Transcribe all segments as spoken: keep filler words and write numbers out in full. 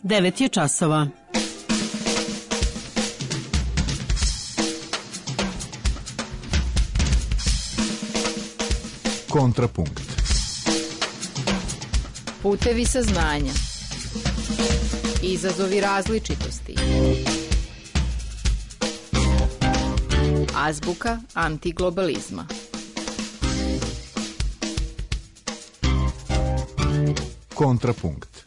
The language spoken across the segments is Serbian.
devet je časova. Kontrapunkt. Putevi saznanja. Izazovi različitosti. Azbuka antiglobalizma. Kontrapunkt.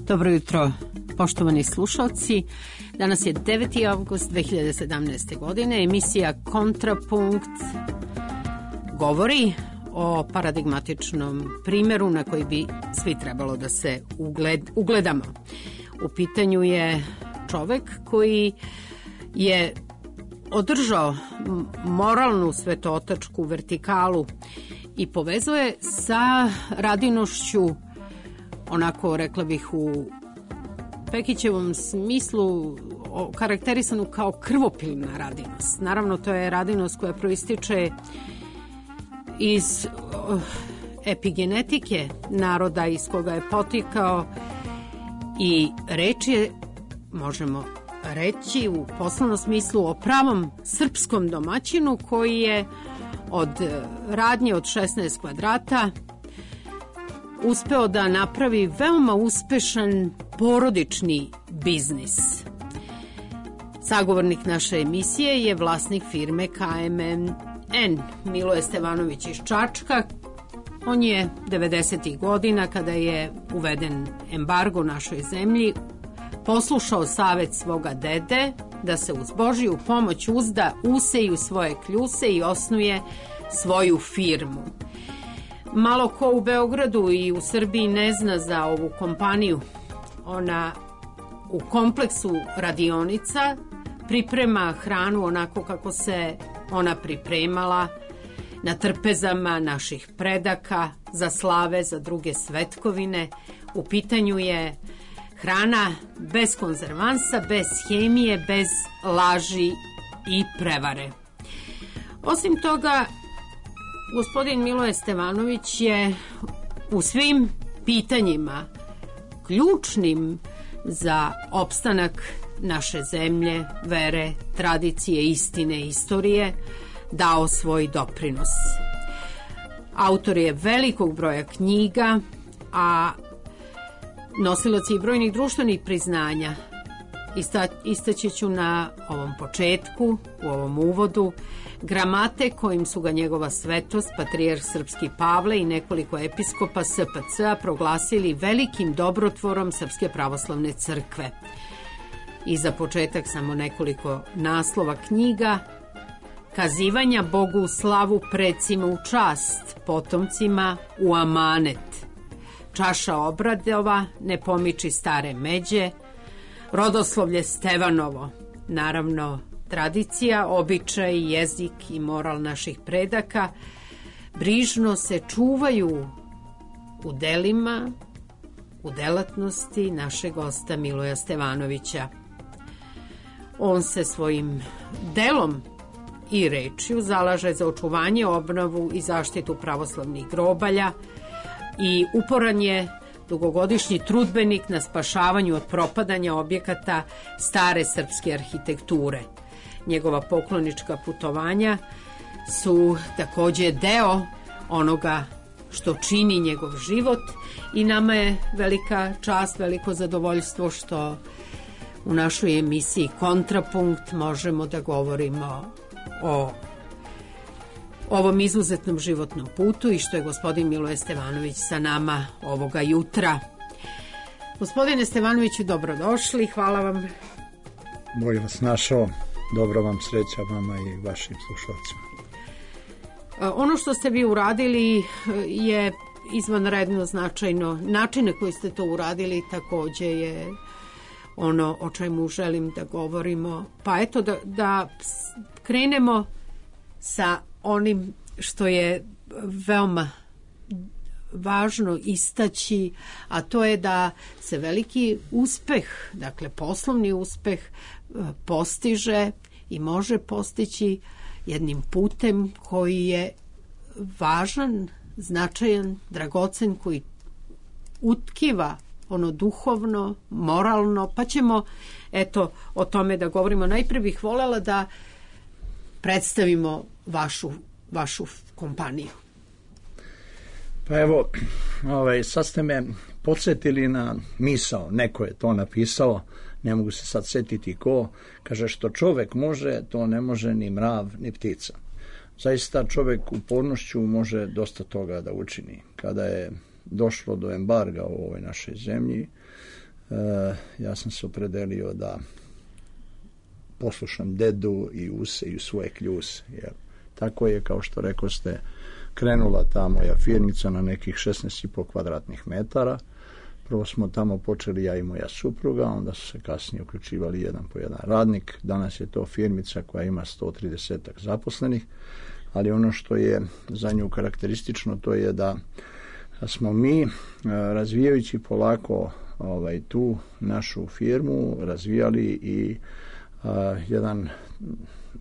Dobro jutro, poštovani slušalci. Danas je deveti avgust dve hiljade sedamnaeste. godine. Emisija Kontrapunkt govori o paradigmatičnom primjeru na koji bi svi trebalo da se ugled, ugledamo. U pitanju je čovek koji je održao moralnu svetotačku vertikalu i povezuje sa radinošću, onako, rekla bih, u Pekićevom smislu karakterisanu kao krvopilna radinost. Naravno, to je radinost koja proističe iz epigenetike naroda iz koga je potikao i reč je, možemo reći u poslovnom smislu, o pravom srpskom domaćinu koji je od radnje od šesnaest kvadrata uspeo da napravi veoma uspešan porodični biznis. Sagovornik naše emisije je vlasnik firme K M N, Miloje Stevanović iz Čačka. On je devedesetih godina, kada je uveden embargo našoj zemlji, poslušao savet svoga dede da se uz Božiju pomoć uzda, useju svoje kljuse i osnuje svoju firmu. Malo ko u Beogradu i u Srbiji ne zna za ovu kompaniju. Ona u kompleksu radionica priprema hranu onako kako se ona pripremala na trpezama naših predaka, za slave, za druge svetkovine. U pitanju je hrana bez konzervansa, bez hemije, bez laži i prevare. Osim toga, gospodin Miloje Stevanović je u svim pitanjima ključnim za opstanak naše zemlje, vere, tradicije, istine, istorije dao svoj doprinos. Autor je velikog broja knjiga, a nosilac i brojnih društvenih priznanja. Ista, istaći ću na ovom početku, u ovom uvodu, gramate kojim su ga njegova svetost, patrijarh srpski Pavle i nekoliko episkopa S P C-a proglasili velikim dobrotvorom Srpske pravoslavne crkve. I za početak samo nekoliko naslova knjiga: Kazivanja Bogu u slavu, precima u čast, potomcima u amanet, Čaša obradova, Ne pomiči stare međe, Rodoslovlje Stevanovo, naravno tradicija, običaj, jezik i moral naših predaka brižno se čuvaju u delima, u delatnosti našeg gosta Miloja Stevanovića. On se svojim delom i rečju zalaže za očuvanje, obnovu i zaštitu pravoslavnih grobalja i uporan je dugogodišnji trudbenik na spašavanju od propadanja objekata stare srpske arhitekture. Njegova poklonička putovanja su takođe deo onoga što čini njegov život i nama je velika čast, veliko zadovoljstvo što u našoj emisiji Kontrapunkt možemo da govorimo o ovom izuzetnom životnom putu i što je gospodin Miloje Stevanović sa nama ovoga jutra. Gospodine Stevanoviću, dobrodošli, hvala vam. Bog vas našao, dobro vam, sreća vama i vašim slušalcima. Ono što ste vi uradili je izvanredno značajno. Način na koji ste to uradili takođe je ono o čemu želim da govorimo. Pa eto da, da krenemo sa onim što je veoma važno istaći, a to je da se veliki uspeh, dakle poslovni uspeh, postiže i može postići jednim putem koji je važan, značajan, dragocen, koji utkiva ono duhovno, moralno, pa ćemo eto o tome da govorimo. Najprije bih voljela da predstavimo vašu, vašu kompaniju. Pa evo, ovaj, sad ste me podsjetili na misao, neko je to napisao, ne mogu se sad setiti ko, kaže što čovek može, to ne može ni mrav, ni ptica. Zaista čovek upornošću može dosta toga da učini. Kada je došlo do embarga u ovoj našoj zemlji, e, ja sam se opredelio da poslušam dedu i use i svoje kljuse. Jer tako je, kao što rekoste, krenula ta moja firmica na nekih šesnaest i po kvadratnih metara. Prvo smo tamo počeli ja i moja supruga, onda su se kasnije uključivali jedan po jedan radnik. Danas je to firmica koja ima sto trideset zaposlenih, ali ono što je za nju karakteristično to je da smo mi, razvijajući polako ovaj, tu našu firmu, razvijali i a, jedan,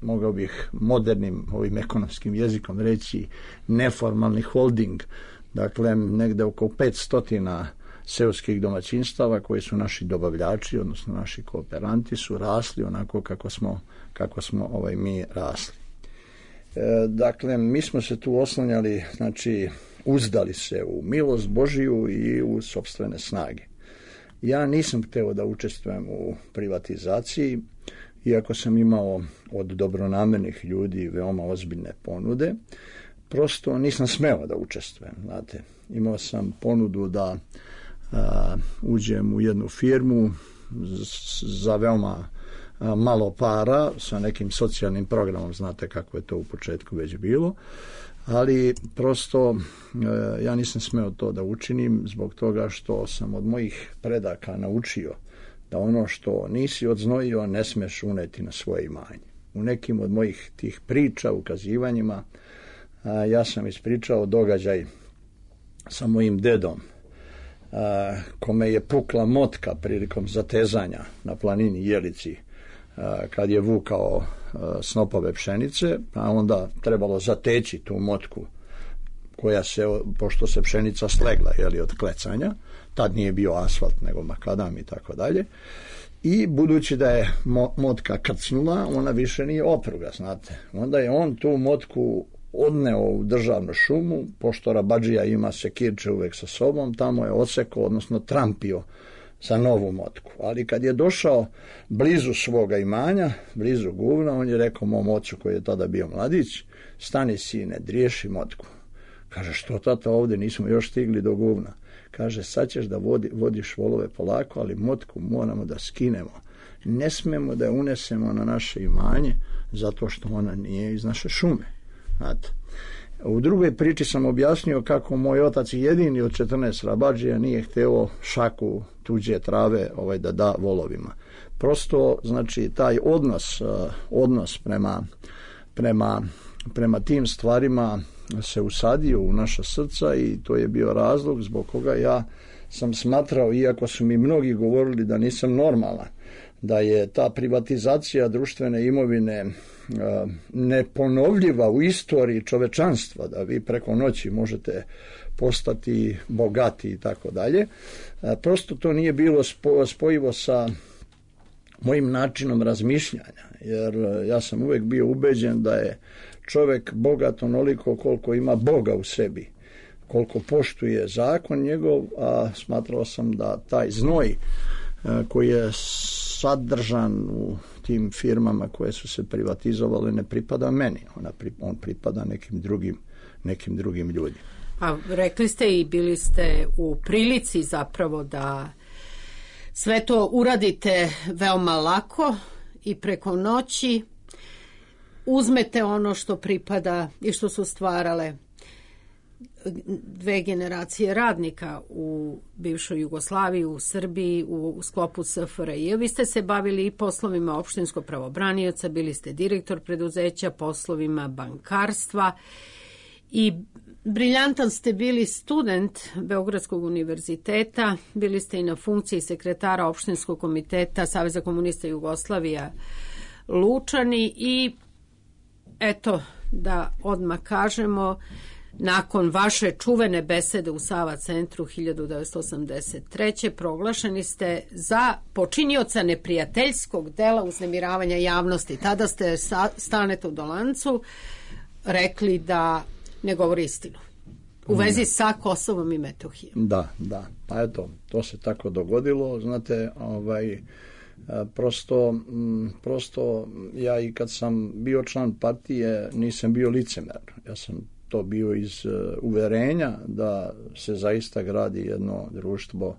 mogao bih modernim ovim ekonomskim jezikom reći, neformalni holding. Dakle, negde oko petsto seoskih domaćinstava koji su naši dobavljači, odnosno naši kooperanti, su rasli onako kako smo, kako smo ovaj, mi rasli. E, dakle, mi smo se tu oslanjali, znači, uzdali se u milost Božiju i u sopstvene snage. Ja nisam hteo da učestvujem u privatizaciji, iako sam imao od dobronamernih ljudi veoma ozbiljne ponude, prosto nisam smeo da učestvujem, znate. Imao sam ponudu da a, uđem u jednu firmu za veoma a, malo para, sa nekim socijalnim programom, znate kako je to u početku već bilo, ali prosto e, ja nisam smeo to da učinim zbog toga što sam od mojih predaka naučio da ono što nisi odznojio ne smeš uneti na svoje imanje. U nekim od mojih tih priča, ukazivanjima, a, ja sam ispričao događaj sa mojim dedom, a, kome je pukla motka prilikom zatezanja na planini Jelici, a, kad je vukao a, snopove pšenice, a onda trebalo zateći tu motku koja se, pošto se pšenica slegla, jeli, od klecanja, tad nije bio asfalt nego makadam i tako dalje, i budući da je mo, motka krcnula, ona više nije opruga, znate. Onda je on tu motku odneo u državnu šumu, pošto rabadžija ima sekirče uvek sa sobom, tamo je odsekao, odnosno trampio za novu motku. Ali kad je došao blizu svoga imanja, blizu guvna, on je rekao mom ocu koji je tada bio mladić, stani sine, driješi motku. Kaže, što tata, ovde nismo još stigli do guvna. Kaže, sad ćeš da vodi, vodiš volove polako, ali motku moramo da skinemo. Ne smemo da je unesemo na naše imanje, zato što ona nije iz naše šume. Znate. U drugoj priči sam objasnio kako moj otac jedini od četrnaest rabadžija nije hteo šaku tuđe trave ovaj, da da volovima. Prosto, znači, taj odnos, odnos prema, prema, prema tim stvarima se usadio u naša srca i to je bio razlog zbog koga ja sam smatrao, iako su mi mnogi govorili da nisam normalan, da je ta privatizacija društvene imovine neponovljiva u istoriji čovečanstva, da vi preko noći možete postati bogati i tako dalje. Prosto to nije bilo spojivo sa mojim načinom razmišljanja, jer ja sam uvek bio ubeđen da je čovek bogat onoliko koliko ima Boga u sebi, koliko poštuje zakon njegov, a smatrao sam da taj znoj koji je sadržan u tim firmama koje su se privatizovale ne pripada meni, ona, on pripada nekim drugim, nekim drugim ljudima. A rekli ste i bili ste u prilici zapravo da sve to uradite veoma lako i preko noći uzmete ono što pripada i što su stvarale dve generacije radnika u bivšoj Jugoslaviji, u Srbiji, u sklopu S F R J. Vi ste se bavili i poslovima opštinskog pravobranioca, bili ste direktor preduzeća, poslovima bankarstva i briljantan ste bili student Beogradskog univerziteta, bili ste i na funkciji sekretara opštinskog komiteta Saveza komunista Jugoslavija Lučani i eto da odmah kažemo, nakon vaše čuvene besede u Sava centru hiljadu devetsto osamdeset treće proglašeni ste za počinioca neprijateljskog dela uznemiravanja javnosti. Tada ste sa Stanetu Dolancu rekli da ne govori istinu u vezi sa Kosovom i Metohijom. Da, da. Pa eto, to se tako dogodilo. Znate, ovaj, prosto, prosto ja i kad sam bio član partije nisam bio licemer. Ja sam to bio iz uverenja da se zaista gradi jedno društvo,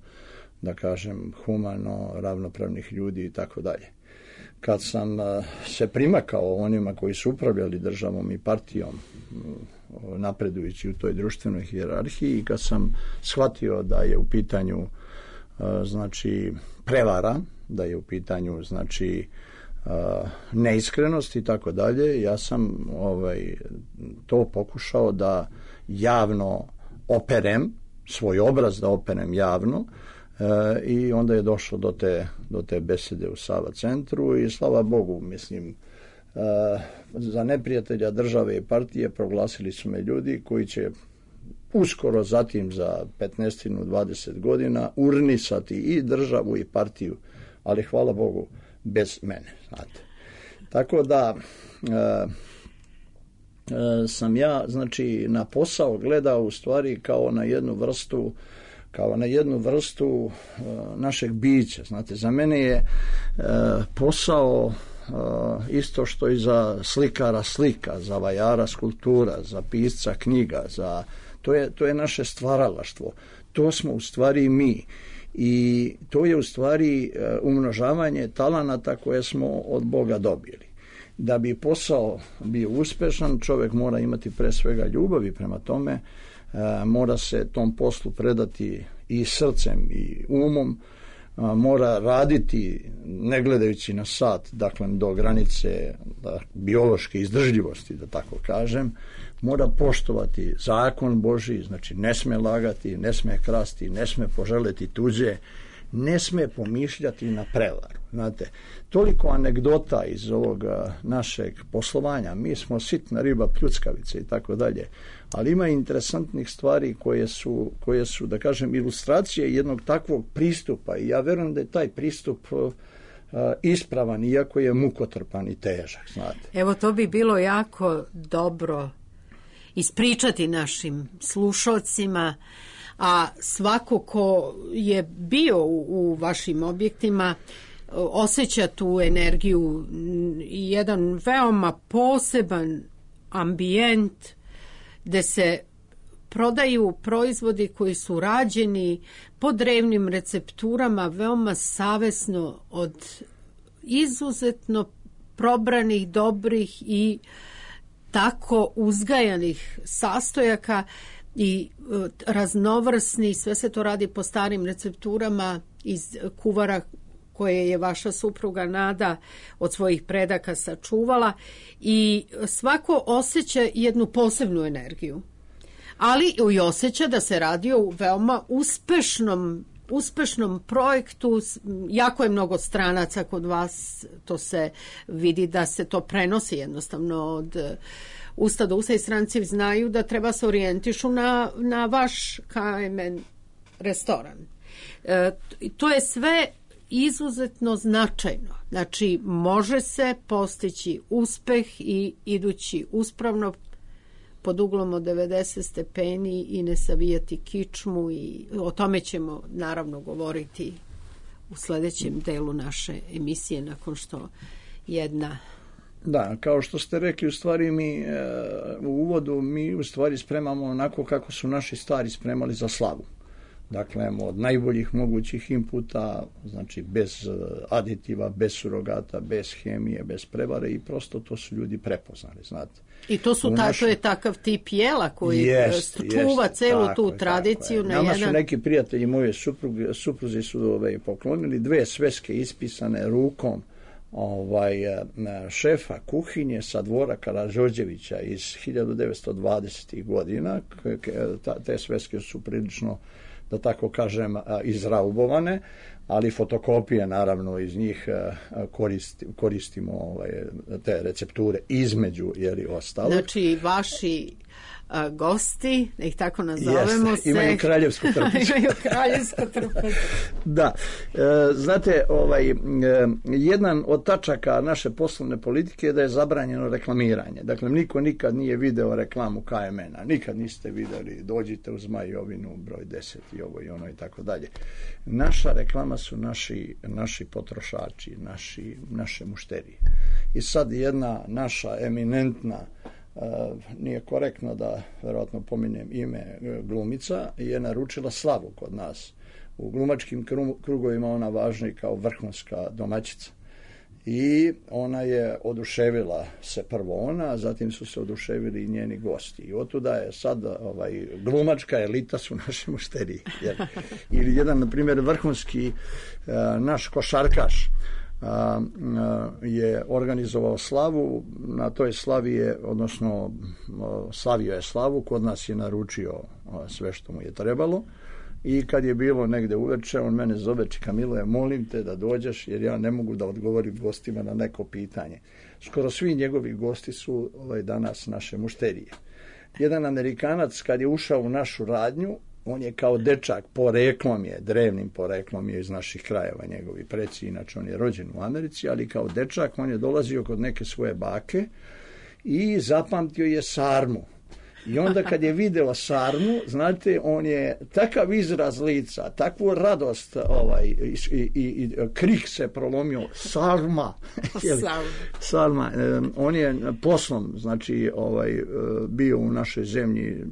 da kažem, humano, ravnopravnih ljudi i tako dalje. Kad sam se primakao onima koji su upravljali državom i partijom, napredujući u toj društvenoj hijerarhiji, i kad sam shvatio da je u pitanju znači prevara, da je u pitanju znači neiskrenost i tako dalje, ja sam ovaj, to pokušao da javno operem, svoj obraz da operem javno, e, i onda je došlo do te, do te besede u Sava centru i slava Bogu, mislim, e, za neprijatelja države i partije proglasili su me ljudi koji će uskoro zatim za petnaest do dvadeset godina urnisati i državu i partiju, ali hvala Bogu bez mene, znate. Tako da e, e, sam ja, znači, na posao gledao u stvari kao na jednu vrstu kao na jednu vrstu e, našeg bića, znate. Za mene je e, posao e, isto što i za slikara slika, za vajara skulptura, za pisca knjiga, za to je, to je naše stvaralaštvo. To smo u stvari mi. I to je u stvari umnožavanje talenata koje smo od Boga dobili. Da bi posao bio uspešan, čovjek mora imati pre svega ljubavi prema tome, mora se tom poslu predati i srcem i umom, mora raditi ne gledajući na sat, dakle do granice da, biološke izdržljivosti, da tako kažem, mora poštovati zakon Božji, znači ne sme lagati, ne sme krasti, ne sme poželeti tuđe, ne sme pomišljati na prevaru. Znate, toliko anegdota iz ovoga našeg poslovanja, mi smo sitna riba, pljuckavice i tako dalje, ali ima interesantnih stvari koje su, koje su, da kažem, ilustracije jednog takvog pristupa i ja verujem da je taj pristup uh, ispravan, iako je mukotrpan i težak, znate. Evo, to bi bilo jako dobro ispričati našim slušalcima, a svako ko je bio u, u vašim objektima osjeća tu energiju i jedan veoma poseban ambijent gde se prodaju proizvodi koji su rađeni po drevnim recepturama, veoma savesno od izuzetno probranih, dobrih i tako uzgajanih sastojaka i raznovrsni, sve se to radi po starim recepturama iz kuvara koje je vaša supruga Nada od svojih predaka sačuvala i svako osjeća jednu posebnu energiju. Ali i osjeća da se radi o veoma uspešnom uspešnom projektu, jako je mnogo stranaca kod vas, to se vidi da se to prenosi jednostavno od usta do usta i stranci znaju da treba se orijentišu na, na vaš K M N restoran. E, to je sve izuzetno značajno. Znači, može se postići uspeh i idući uspravno pod uglom od devedeset stepeni i ne savijati kičmu i o tome ćemo naravno govoriti u sledećem delu naše emisije nakon što jedna. Da, kao što ste rekli, u stvari mi e, u uvodu mi u stvari spremamo onako kako su naši stari spremali za slavu. Dakle, od najboljih mogućih inputa, znači bez aditiva, bez surogata, bez hemije, bez prevare i prosto to su ljudi prepoznali, znate. I to su ta, našu... to je takav tip jela koji jest, čuva jest, celu tako tu je, tradiciju. Na Nama jedan... su neki prijatelji moje supruge, supruzi su ove, poklonili dve sveske ispisane rukom ovaj šefa kuhinje sa dvora Karađorđevića iz hiljadu devetsto dvadesetih godina. Te sveske su prilično, da tako kažem, izraubovane, ali fotokopije naravno iz njih koristi, koristimo ovaj, te recepture između jeli ostalo. Znači vaši a, gosti, da ih tako nazovemo, Jeste, se... imaju kraljevsku trpicu. imaju kraljevsku trpicu. Da, e, znate, ovaj, e, jedan od tačaka naše poslovne politike je da je zabranjeno reklamiranje. Dakle, niko nikad nije video reklamu K M N-a, nikad niste videli, dođite u Zmajovinu, broj deset i ovo i ono i tako dalje. Naša reklama su naši, naši potrošači, naši, naše mušterije. I sad jedna naša eminentna Uh, nije korektno da verovatno pominjem ime glumica, je naručila slavu kod nas. U glumačkim krugovima ona važna i kao vrhunska domaćica. I ona je oduševila se prvo ona, a zatim su se oduševili i njeni gosti. I otuda je sad ovaj, glumačka elita su naši mušteriji. Jer, ili jedan, na primjer, vrhunski uh, naš košarkaš A, a, je organizovao slavu, na toj slavi je, odnosno slavio je slavu, kod nas je naručio a, sve što mu je trebalo i kad je bilo negde uveče, on mene zove, čika Miloje, molim te da dođeš jer ja ne mogu da odgovorim gostima na neko pitanje. Skoro svi njegovi gosti su ovaj, danas naše mušterije. Jedan Amerikanac kad je ušao u našu radnju, on je kao dečak, poreklom je, drevnim poreklom je iz naših krajeva, njegovi preci, inače on je rođen u Americi, ali kao dečak on je dolazio kod neke svoje bake i zapamtio je sarmu. I onda kad je video sarmu, znate, on je takav izraz lica, takvu radost, ovaj, i, i, i krik se prolomio, sarma. Sarma. On je poslom, znači, ovaj, bio u našoj zemlji,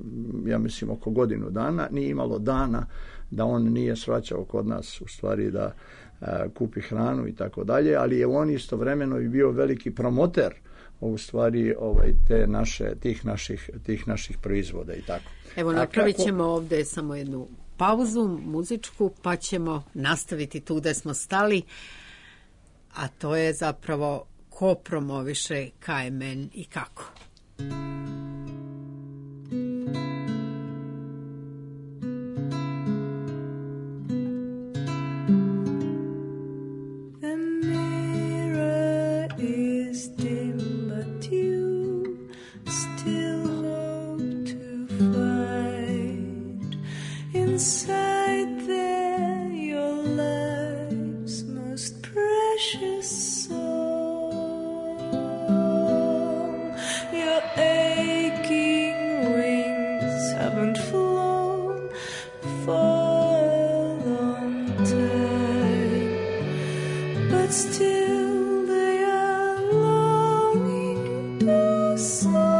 ja mislim, oko godinu dana, nije imalo dana da on nije svraćao kod nas, u stvari, da a, kupi hranu i tako dalje, ali je on istovremeno i bio veliki promoter u stvari ovaj, te naše, tih, naših, tih naših proizvoda i tako. Evo, napravit ćemo kako... ovde samo jednu pauzu muzičku, pa ćemo nastaviti tu gde smo stali, a to je zapravo ko promoviše K M N i kako. Inside there, your life's most precious song. Your aching wings haven't flown for a long time, but still they are longing to soar.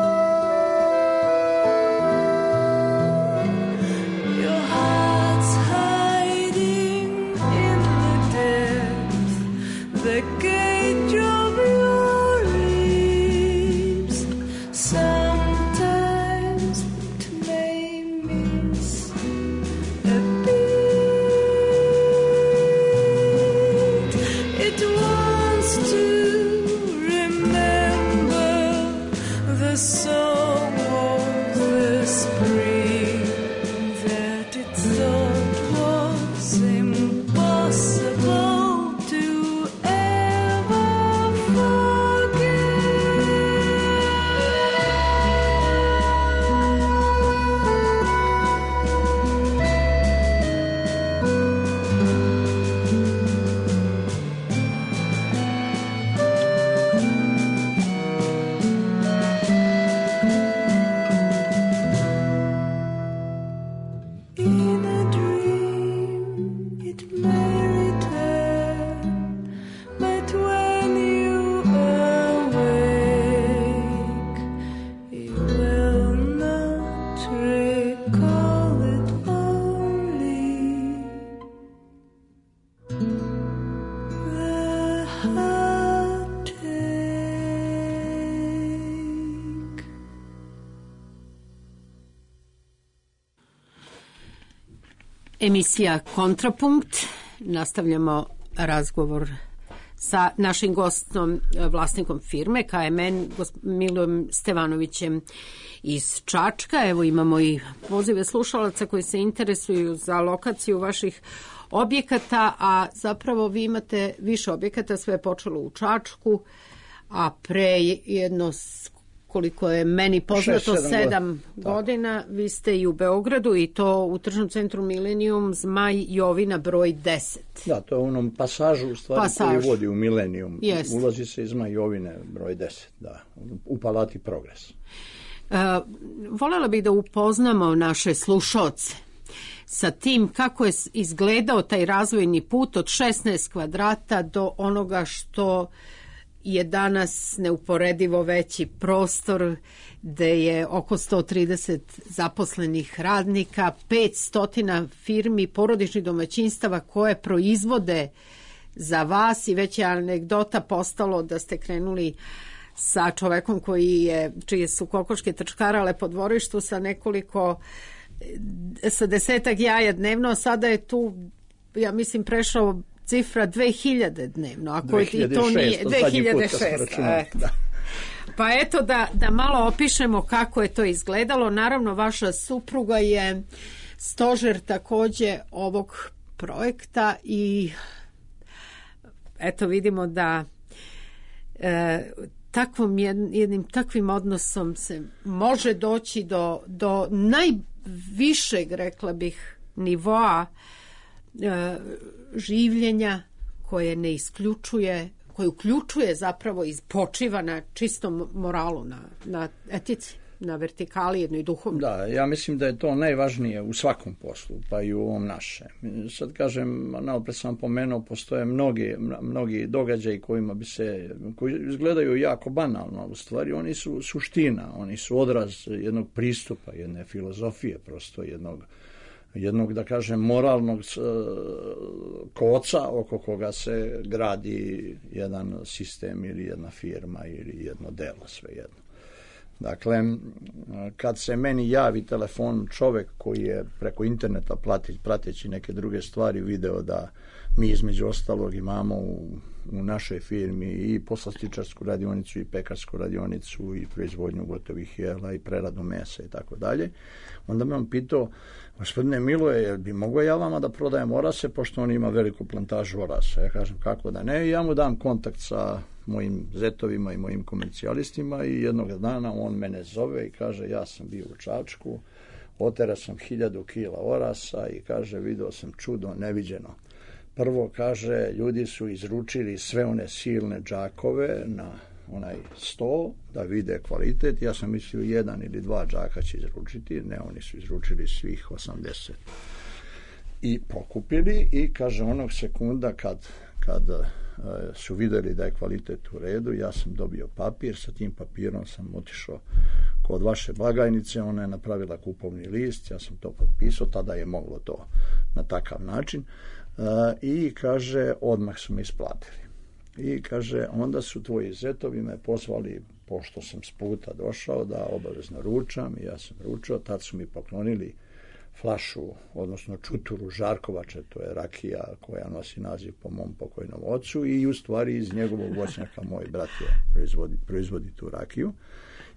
The gauge of your lips, sometimes it may miss a beat. It was Emisija Kontrapunkt. Nastavljamo razgovor sa našim gostom, vlasnikom firme K M N, Milojem Stevanovićem iz Čačka. Evo imamo i pozive slušalaca koji se interesuju za lokaciju vaših objekata, a zapravo vi imate više objekata, sve je počelo u Čačku, a pre jedno, koliko je meni poznato, Šest, sedam godina. godina, vi ste i u Beogradu i to u tržnom centru Milenijum, Zmaj Jovina broj deset. Da, to je u onom pasažu u stvari Pasaž. koji vodi u Milenijum. Jest. Ulazi se iz Zmaj Jovine broj deset, da, u Palati Progres. Uh, voljela bih da upoznamo naše slušaoce sa tim kako je izgledao taj razvojni put od šesnaest kvadrata do onoga što je danas neuporedivo veći prostor, gde je oko sto trideset zaposlenih radnika, petsto firmi, porodičnih domaćinstava koje proizvode za vas, i već je anegdota postalo da ste krenuli sa čovekom koji je, čije su kokoške trčkarale po dvorištu sa nekoliko, sa desetak jaja dnevno, a sada je tu, ja mislim, prešao cifra dve hiljade dnevno, ako i to nije dve hiljade šest. Da. Pa eto da, da malo opišemo kako je to izgledalo. Naravno, vaša supruga je stožer takođe ovog projekta i eto vidimo da e, takvom jednim takvim odnosom se može doći do, do najvišeg, rekla bih, nivoa e, življenja koje ne isključuje, koje uključuje zapravo i počiva na čistom moralu, na, na etici, na vertikali jednoj duhovnoj. Da, ja mislim da je to najvažnije u svakom poslu, pa i u ovom našem. Sad kažem, naopred sam pomenuo, postoje mnogi, mnogi događaji kojima bi se, koji izgledaju jako banalno, u stvari oni su suština, oni su odraz jednog pristupa, jedne filozofije, prosto jednog jednog, da kažem, moralnog koca oko koga se gradi jedan sistem ili jedna firma ili jedno delo, svejedno. Dakle, kad se meni javi telefon čovek koji je preko interneta plati, prateći neke druge stvari video da mi između ostalog imamo u, u našoj firmi i poslastičarsku radionicu i pekarsku radionicu i proizvodnju gotovih jela i preradu mesa i tako dalje, onda me on pitao: gospodine Miloje, jel bi mogo ja vama da prodajem orase, pošto on ima veliku plantažu orasa? Ja kažem, kako da ne, i ja mu dam kontakt sa mojim zetovima i mojim komercijalistima i jednog dana on mene zove i kaže: ja sam bio u Čačku, otera sam hiljadu kila orasa i kaže, video sam čudo neviđeno. Prvo, kaže, ljudi su izručili sve one silne džakove na onaj sto da vide kvalitet. Ja sam mislio jedan ili dva džaka će izručiti, ne, oni su izručili svih osamdeset i pokupili i kaže, onog sekunda kad, kad su videli da je kvalitet u redu, ja sam dobio papir, sa tim papirom sam otišao kod vaše blagajnice, ona je napravila kupovni list, ja sam to potpisao, tada je moglo to na takav način, i kaže, odmah su me isplatili. I kaže, onda su tvoji zetovi me pozvali, pošto sam s puta došao, da obavezno ručam, i ja sam ručao, tad su mi poklonili flašu, odnosno čuturu Žarkovače, to je rakija koja nosi naziv po mom pokojnom ocu, i u stvari iz njegovog voćnjaka moj brat je proizvodi, proizvodi tu rakiju,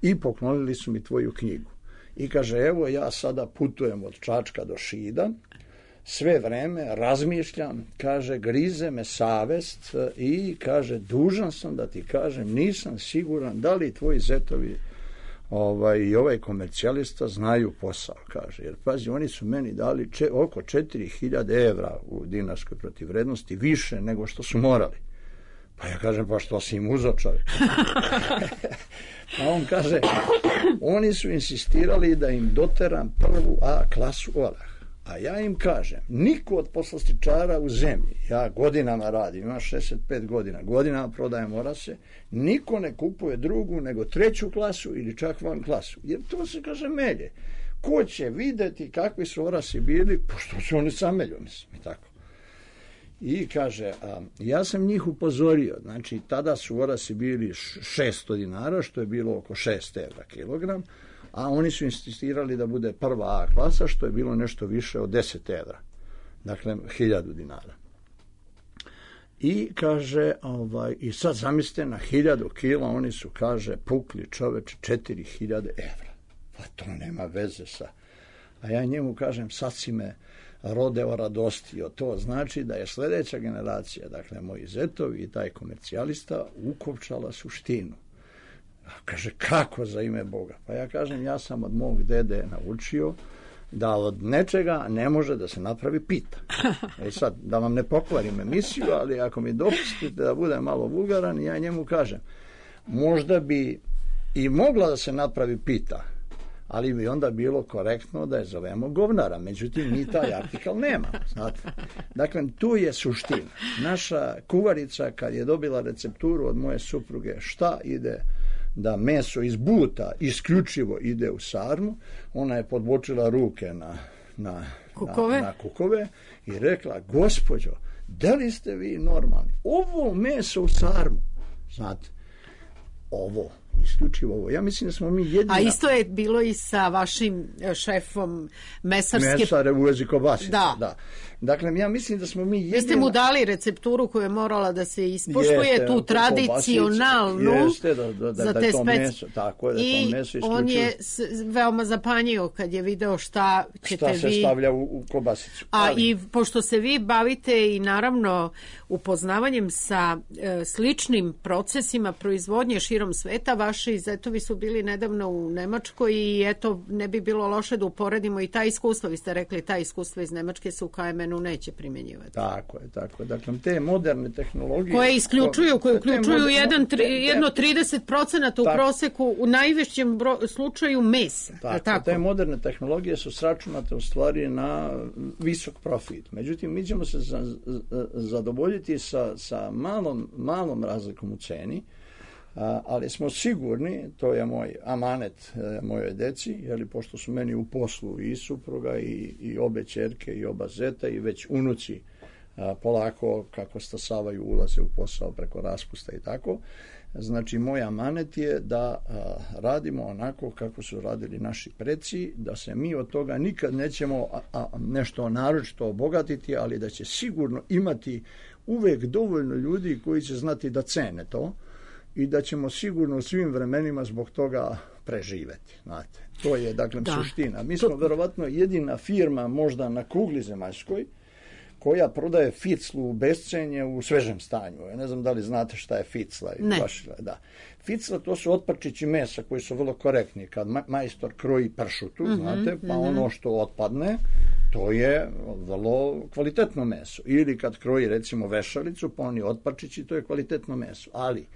i poklonili su mi tvoju knjigu. I kaže, evo ja sada putujem od Čačka do Šida, sve vreme razmišljam, kaže, grize me savest i kaže, dužan sam da ti kažem, nisam siguran da li tvoji zetovi ovaj, i ovaj komercijalista znaju posao, kaže, jer pazi, oni su meni dali če, oko četiri hiljade evra u dinarskoj protivvrednosti, više nego što su morali. Pa ja kažem, pa što si im uzeo, čovjek? A on kaže, oni su insistirali da im doteram prvu A klasu orah. A ja im kažem, niko od poslastičara u zemlji, ja godinama radim, imam šezdeset pet godina, godinama prodajem orase, niko ne kupuje drugu nego treću klasu ili čak van klasu, jer to se, kaže, melje. Ko će videti kakvi su orasi bili, pošto su oni samelju, mislim, i tako. I kaže, a, ja sam njih upozorio, znači tada su orasi bili šesto dinara, što je bilo oko šest evra kilogram, a oni su insistirali da bude prva A klasa, što je bilo nešto više od deset evra. Dakle, hiljadu dinara. I kaže, ovaj, i sad zamislite na hiljadu kila, oni su, kaže, pukli čoveče četiri hiljade evra. Pa to nema veze sa... A ja njemu kažem, sad si me rodeo radostio. To znači da je sljedeća generacija, dakle, moji zetovi i taj komercijalista, ukopčala suštinu. A kaže, kako za ime Boga? Pa ja kažem, ja sam od mog dede naučio da od nečega ne može da se napravi pita. E sad, da vam ne pokvarim emisiju, ali ako mi dopustite da budem malo vulgaran, ja njemu kažem, možda bi i mogla da se napravi pita, ali bi onda bilo korektno da je zovemo govnara. Međutim, mi taj artikal nemamo. Znate? Dakle, tu je suština. Naša kuvarica, kad je dobila recepturu od moje supruge, šta ide da meso iz buta isključivo ide u sarmu, ona je podbočila ruke na, na, kukove. na, na kukove i rekla, gospođo, da li ste vi normalni? Ovo meso u sarmu, znate, ovo, isključivo ovo. Ja mislim da smo mi jedina... A isto je bilo i sa vašim šefom mesarske... Mesare u vezi kobasice, da. da. Dakle, ja mislim da smo mi jedina... Vi ste mu dali recepturu koja je morala da se ispoštuje, jeste, tu tradicionalnu jeste, da, da, da, za da te to speci... meso, tako je, da I to meso on je s, veoma zapanjio kad je video šta ćete šta se vi... stavlja u, u kobasicu. A ali... i pošto se vi bavite i naravno upoznavanjem sa e, sličnim procesima proizvodnje širom sveta, vaši zetovi su bili nedavno u Nemačkoj i eto, ne bi bilo loše da uporedimo i ta iskustva. Vi ste rekli, ta iskustva iz Nemačke se u K M N-u neće primjenjivati. Tako je, tako je. Dakle, te moderne tehnologije... Koje isključuju, koje uključuju moderne, jedan, tri, te, te, jedno trideset procenata u tako, proseku, u najvećem bro, slučaju mesa. Tako, tako? Te moderne tehnologije su sračunate u stvari na visok profit. Međutim, mi ćemo se za, za, zadovoljiti sa, sa malom, malom razlikom u ceni, a, ali smo sigurni, to je moj amanet e, mojoj deci, jer pošto su meni u poslu i supruga i, i obe ćerke i oba zeta i već unuci a, polako kako stasavaju ulaze u posao preko raspusta i tako. Znači, moj amanet je da a, radimo onako kako su radili naši preci, da se mi od toga nikad nećemo a, a, nešto naročito obogatiti, ali da će sigurno imati uvek dovoljno ljudi koji će znati da cene to i da ćemo sigurno u svim vremenima zbog toga preživeti. Znate. To je, dakle, da. suština. Mi smo to... verovatno jedina firma možda na kugli zemaljskoj koja prodaje ficlu u bescenje u svežem stanju. Ja ne znam da li znate šta je ficla. Ne. Baš, da. Ficla, to su otpačići mesa koji su vrlo korektni. Kad majstor kroji pršutu, mm-hmm, znate, pa mm-hmm. ono što otpadne, to je vrlo kvalitetno meso. Ili kad kroji, recimo, vešalicu, pa oni otpačići, to je kvalitetno meso. Ali,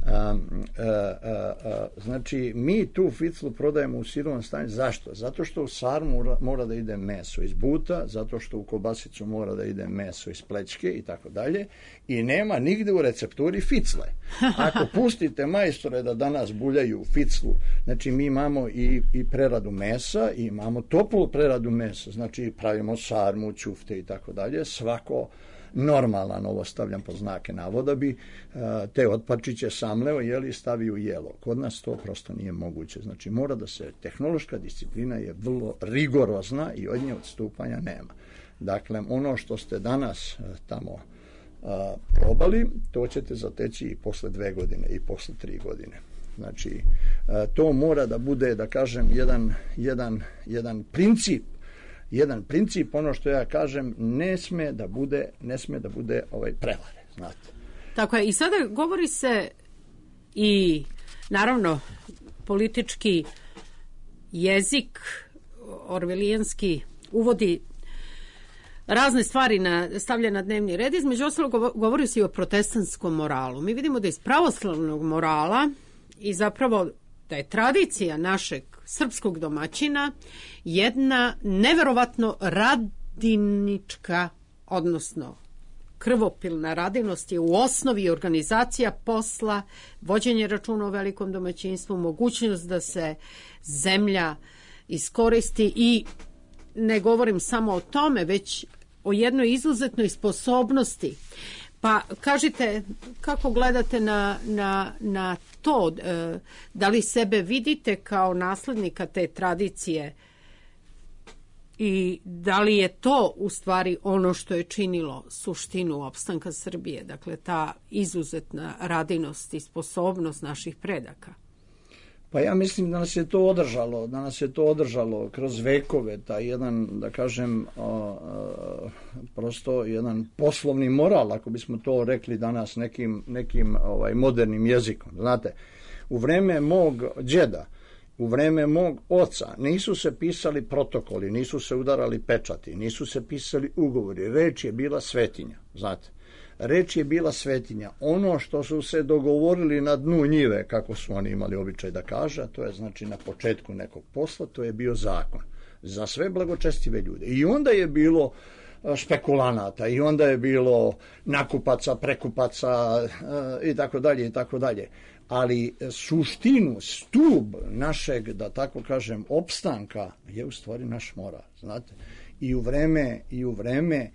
a, a, a, a, znači, mi tu ficlu prodajemo u sirovom stanju. Zašto? Zato što u sarmu mora, mora da ide meso iz buta, zato što u kobasicu mora da ide meso iz plećke i tako dalje. I nema nigde u recepturi ficle. Ako pustite majstore da danas buljaju ficlu, znači mi imamo i, i preradu mesa, i imamo toplu preradu mesa, znači pravimo sarmu, ćufte i tako dalje. Svako normalan, ovo stavljam pod znake navoda, bi uh, te otpačiće samleo, jeli, stavio u jelo. Kod nas to prosto nije moguće. Znači, mora da se, tehnološka disciplina je vrlo rigorozna i od nje odstupanja nema. Dakle, ono što ste danas uh, tamo uh, probali, to ćete zateći i posle dve godine i posle tri godine. Znači, uh, to mora da bude, da kažem, jedan, jedan, jedan princip jedan princip, ono što ja kažem, ne sme da bude, ne sme da bude ovaj prevare, znate. Tako je. I sada govori se i, naravno, politički jezik orvelijanski uvodi razne stvari na, stavlja na dnevni red. Između ostalog govori se i o protestantskom moralu. Mi vidimo da iz pravoslavnog morala i zapravo da je tradicija našeg srpskog domaćina jedna neverovatno radinička, odnosno krvopilna radinost je u osnovi organizacija posla, vođenje računa o velikom domaćinstvu, mogućnost da se zemlja iskoristi i ne govorim samo o tome, već o jednoj izuzetnoj sposobnosti. Pa kažite, kako gledate na, na, na to, e, da li sebe vidite kao naslednika te tradicije I da li je to u stvari ono što je činilo suštinu opstanka Srbije, dakle ta izuzetna radinost i sposobnost naših predaka? Pa ja mislim da nas je to održalo, da nas je to održalo kroz vekove, taj jedan, da kažem, a, a, prosto jedan poslovni moral, ako bismo to rekli danas nekim, nekim ovaj, modernim jezikom. Znate, u vreme mog đeda, u vreme mog oca nisu se pisali protokoli, nisu se udarali pečati, nisu se pisali ugovori, reč je bila svetinja, znate. Reč je bila svetinja. Ono što su se dogovorili na dnu njive, kako su oni imali običaj da kaže, to je znači na početku nekog posla, to je bio zakon za sve blagočestive ljude. I onda je bilo špekulanata, i onda je bilo nakupaca, prekupaca i tako dalje i tako dalje. Ali suštinu, stub našeg, da tako kažem, opstanka je u stvari naš moral, znate. I u vreme, i u vreme,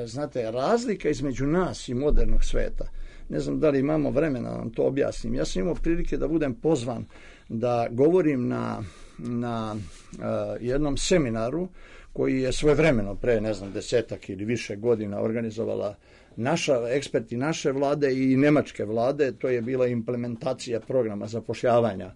znate, razlika između nas i modernog sveta, ne znam da li imamo vremena da vam to objasnim. Ja sam imao prilike da budem pozvan da govorim na, na uh, jednom seminaru koji je svojevremeno pre, ne znam, desetak ili više godina organizovala naša, eksperti naše vlade i nemačke vlade. To je bila implementacija programa zapošljavanja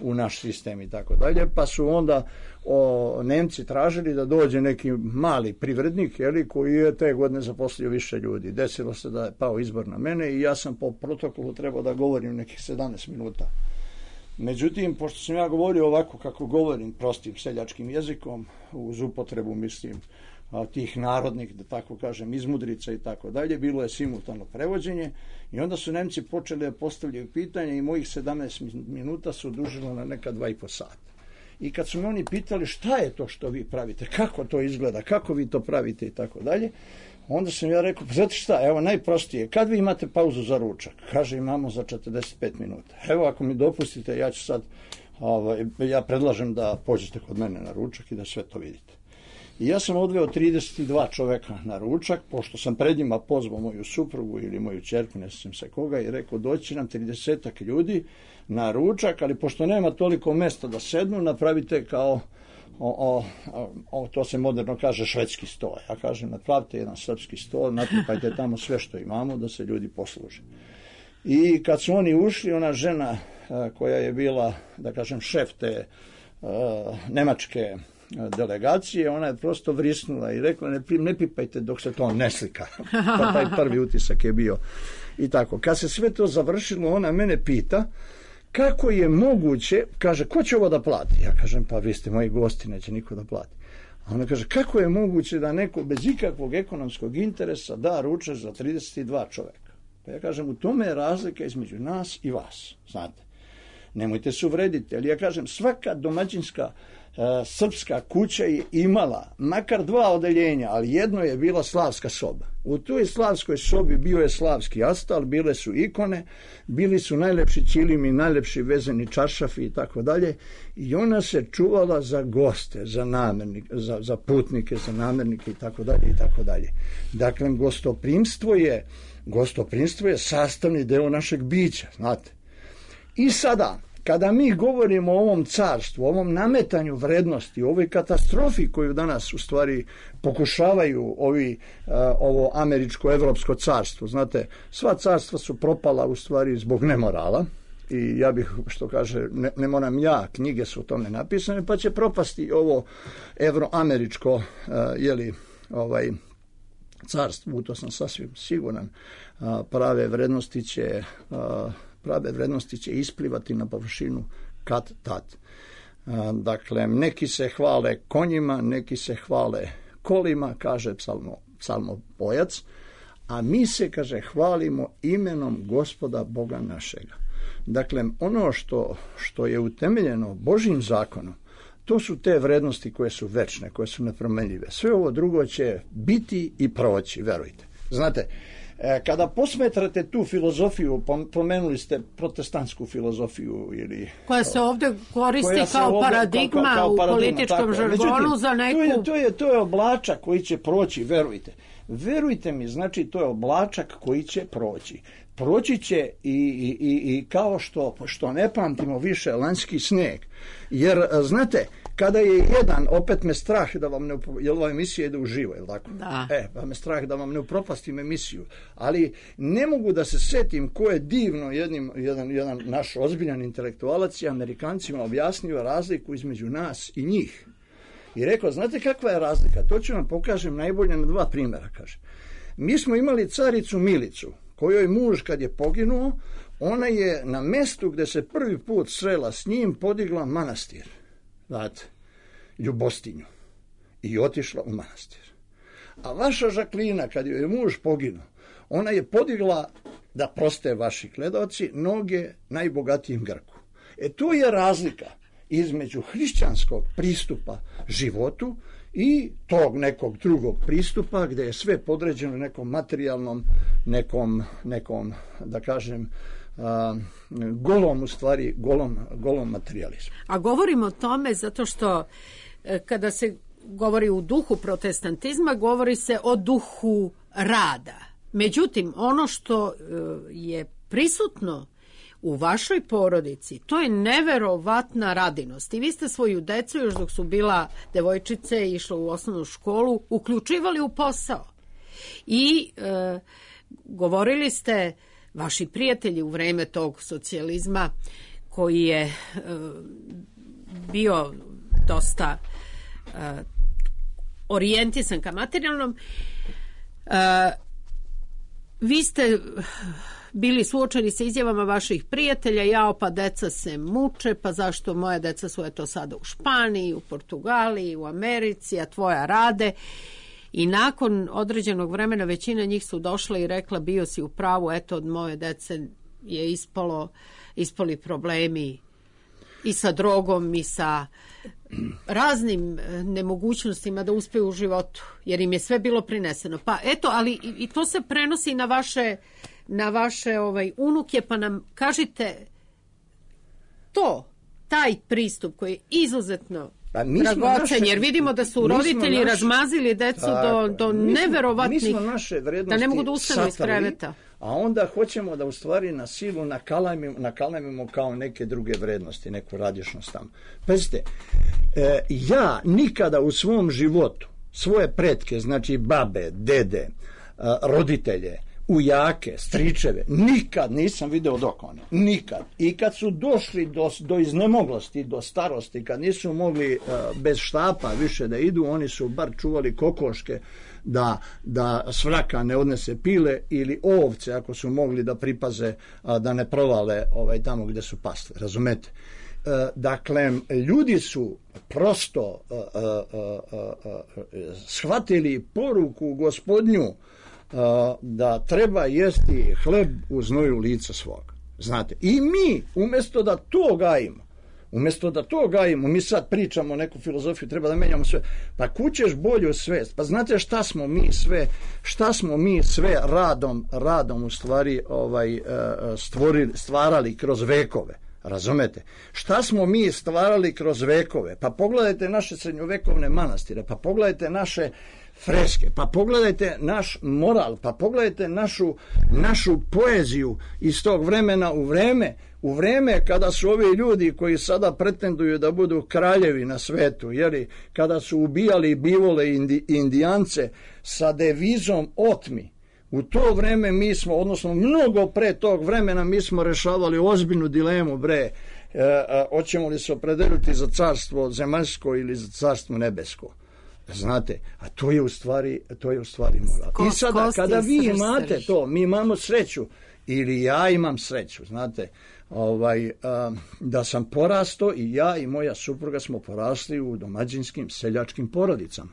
u naš sistem i tako dalje, pa su onda o, Nemci tražili da dođe neki mali privrednik, jeli, koji je te godine zaposlio više ljudi. Desilo se da je pao izbor na mene i ja sam po protokolu trebao da govorim nekih sedamnaest minuta. Međutim, pošto sam ja govorio ovako kako govorim, prostim seljačkim jezikom, uz upotrebu, mislim, tih narodnih, da tako kažem, izmudrica i tako dalje, bilo je simultano prevođenje i onda su Nemci počeli da postavljaju pitanje i mojih sedamnaest minuta su dužilo na neka dva i po sata. I kad su me oni pitali šta je to što vi pravite, kako to izgleda, kako vi to pravite i tako dalje, onda sam ja rekao, znate šta, evo najprostije, kad vi imate pauzu za ručak? Kaže, imamo za četrdeset pet minuta. Evo, ako mi dopustite, ja ću sad, ovaj, ja predlažem da pođete kod mene na ručak i da sve to vidite. I ja sam odveo trideset dva čoveka na ručak, pošto sam pred njima pozvao moju suprugu ili moju ćerku, ne sjećam se koga, i rekao, doći nam tridesetak ljudi na ručak, ali pošto nema toliko mesta da sednu, napravite kao, o, o, o, to se moderno kaže, švedski sto. Ja kažem, napravite jedan srpski sto, natrpajte tamo sve što imamo da se ljudi posluže. I kad su oni ušli, ona žena koja je bila, da kažem, šef te uh, nemačke delegacije, ona je prosto vrisnula i rekla, ne, ne pipajte dok se to ne slika. Pa taj prvi utisak je bio i tako. Kad se sve to završilo, ona mene pita kako je moguće, kaže, ko će ovo da plati? Ja kažem, pa vi ste moji gosti, neće niko da plati. A ona kaže, kako je moguće da neko bez ikakvog ekonomskog interesa da ručak za trideset dva čoveka? Pa ja kažem, u tome je razlika između nas i vas, znate. Nemojte se uvrediti, ali ja kažem, svaka domaćinska srpska kuća je imala makar dva odeljenja, ali jedno je bila slavska soba. U toj slavskoj sobi bio je slavski astal, bile su ikone, bili su najlepši ćilimi, najlepši vezani čaršafi i tako dalje, i ona se čuvala za goste, za namernike, za, za putnike, za namernike i tako dalje i tako dalje. Dakle, gostoprimstvo je, gostoprimstvo je sastavni deo našeg bića, znate. I sada, kada mi govorimo o ovom carstvu, o ovom nametanju vrednosti, o ovoj katastrofi koju danas u stvari pokušavaju ovi, uh, ovo američko-evropsko carstvo, znate, sva carstva su propala u stvari zbog nemorala, i ja bih, što kaže, ne, ne moram ja, knjige su o tome napisane, pa će propasti ovo evroameričko, uh, jeli, ovaj, carstvo, u to sam sasvim siguran, uh, prave vrednosti će... Uh, prave vrednosti će isplivati na površinu kad tad. Dakle, neki se hvale konjima, neki se hvale kolima, kaže psalmo, psalmopojac, a mi se, kaže, hvalimo imenom Gospoda Boga našega. Dakle, ono što, što je utemeljeno Božjim zakonom, to su te vrednosti koje su večne, koje su nepromenljive. Sve ovo drugo će biti i proći, verujte. Znate, kada posmetrate tu filozofiju, pomenuli ste protestantsku filozofiju ili... Koja se ovdje koristi kao ovdje, paradigma kao, kao, kao paradigma, u političkom žargonu za neku... To je, to, je, to je oblačak koji će proći, verujte. Verujte mi, znači to je oblačak koji će proći. Proći će i, i, i, i kao što, što ne pamtimo više lanjski sneg. Jer, znate, kada je jedan, opet me strah da vam ne, jer ova emisija ide uživo, je li tako? Da. E, pa me strah da vam ne upropastim emisiju, ali ne mogu da se setim ko je divno jednim, jedan, jedan naš ozbiljan intelektualac i Amerikancima objasnio razliku između nas i njih. I rekao, znate kakva je razlika? To ću vam pokažem najbolje na dva primjera, kaže. Mi smo imali caricu Milicu, kojoj muž kad je poginuo, ona je na mestu gde se prvi put srela s njim podigla manastir, znate, Ljubostinju, i otišla u manastir. A vaša Žaklina, kad joj je muž poginuo, ona je podigla, da proste vaši gledaoci, noge najbogatijem Grku. E tu je razlika između hrišćanskog pristupa životu i tog nekog drugog pristupa gde je sve podređeno nekom materijalnom, nekom, nekom da kažem, a, golom, u stvari, golom, golom materializmu. A govorimo o tome zato što e, kada se govori u duhu protestantizma, govori se o duhu rada. Međutim, ono što e, je prisutno u vašoj porodici, to je neverovatna radinost. I vi ste svoju decu, još dok su bila devojčice i išla u osnovnu školu, uključivali u posao. I e, govorili ste, vaši prijatelji u vreme tog socijalizma, koji je e, bio dosta e, orijentisan ka materijalnom, e, vi ste bili suočeni sa izjavama vaših prijatelja, jao pa deca se muče, pa zašto moja deca su eto sada u Španiji, u Portugaliji, u Americi, a tvoja rade. I nakon određenog vremena većina njih su došla i rekla, bio si u pravu, eto od moje dece je ispalo, ispali problemi i sa drogom i sa raznim nemogućnostima da uspeju u životu, jer im je sve bilo prineseno. Pa eto, ali i, i to se prenosi na vaše na vaše ovaj unuke, pa nam kažite to, taj pristup koji je izuzetno pa dragocen, jer vidimo da su roditelji naš, razmazili decu tako, do, do mi smo, neverovatnih, mi smo naše vrednosti da ne mogu da ustanu iz kreveta. A onda hoćemo da u stvari na silu nakalamimo, nakalamimo kao neke druge vrednosti, neku radišnost tamo. Pazite, e, ja nikada u svom životu svoje pretke, znači babe, dede, a, roditelje, ujake, stričeve, nikad nisam video dok one, nikad. I kad su došli do, do iznemoglosti, do starosti, kad nisu mogli uh, bez štapa više da idu, oni su bar čuvali kokoške da, da svraka ne odnese pile, ili ovce ako su mogli da pripaze uh, da ne provale ovaj, tamo gde su pasle, razumete? Uh, dakle, ljudi su prosto uh, uh, uh, uh, shvatili poruku Gospodnju Uh, da treba jesti hleb u znoju lica svog. Znate, i mi umjesto da to gajimo, umjesto da to gajimo, mi sad pričamo neku filozofiju, treba da menjamo sve. Pa kućeš bolju svest. Pa znate šta smo mi sve, šta smo mi sve radom, radom u stvari ovaj, stvorili, stvarali kroz vekove. Razumete? Šta smo mi stvarali kroz vekove? Pa pogledajte naše srednjovekovne manastire, pa pogledajte naše freske, pa pogledajte naš moral, pa pogledajte našu, našu poeziju iz tog vremena u vreme, u vreme kada su ovi ljudi koji sada pretenduju da budu kraljevi na svetu, jeli, kada su ubijali bivole i indi, indijance sa devizom otmi. U to vreme mi smo, odnosno mnogo pre tog vremena, mi smo rešavali ozbiljnu dilemu, bre, e, a, hoćemo li se opredeliti za carstvo zemaljsko ili za carstvo nebesko. Znate, a to je u stvari, to je u stvari moral. I sada, kada vi imate to, mi imamo sreću, ili ja imam sreću, znate, ovaj, a, da sam porasto i ja i moja supruga smo porasli u domaćinskim seljačkim porodicama.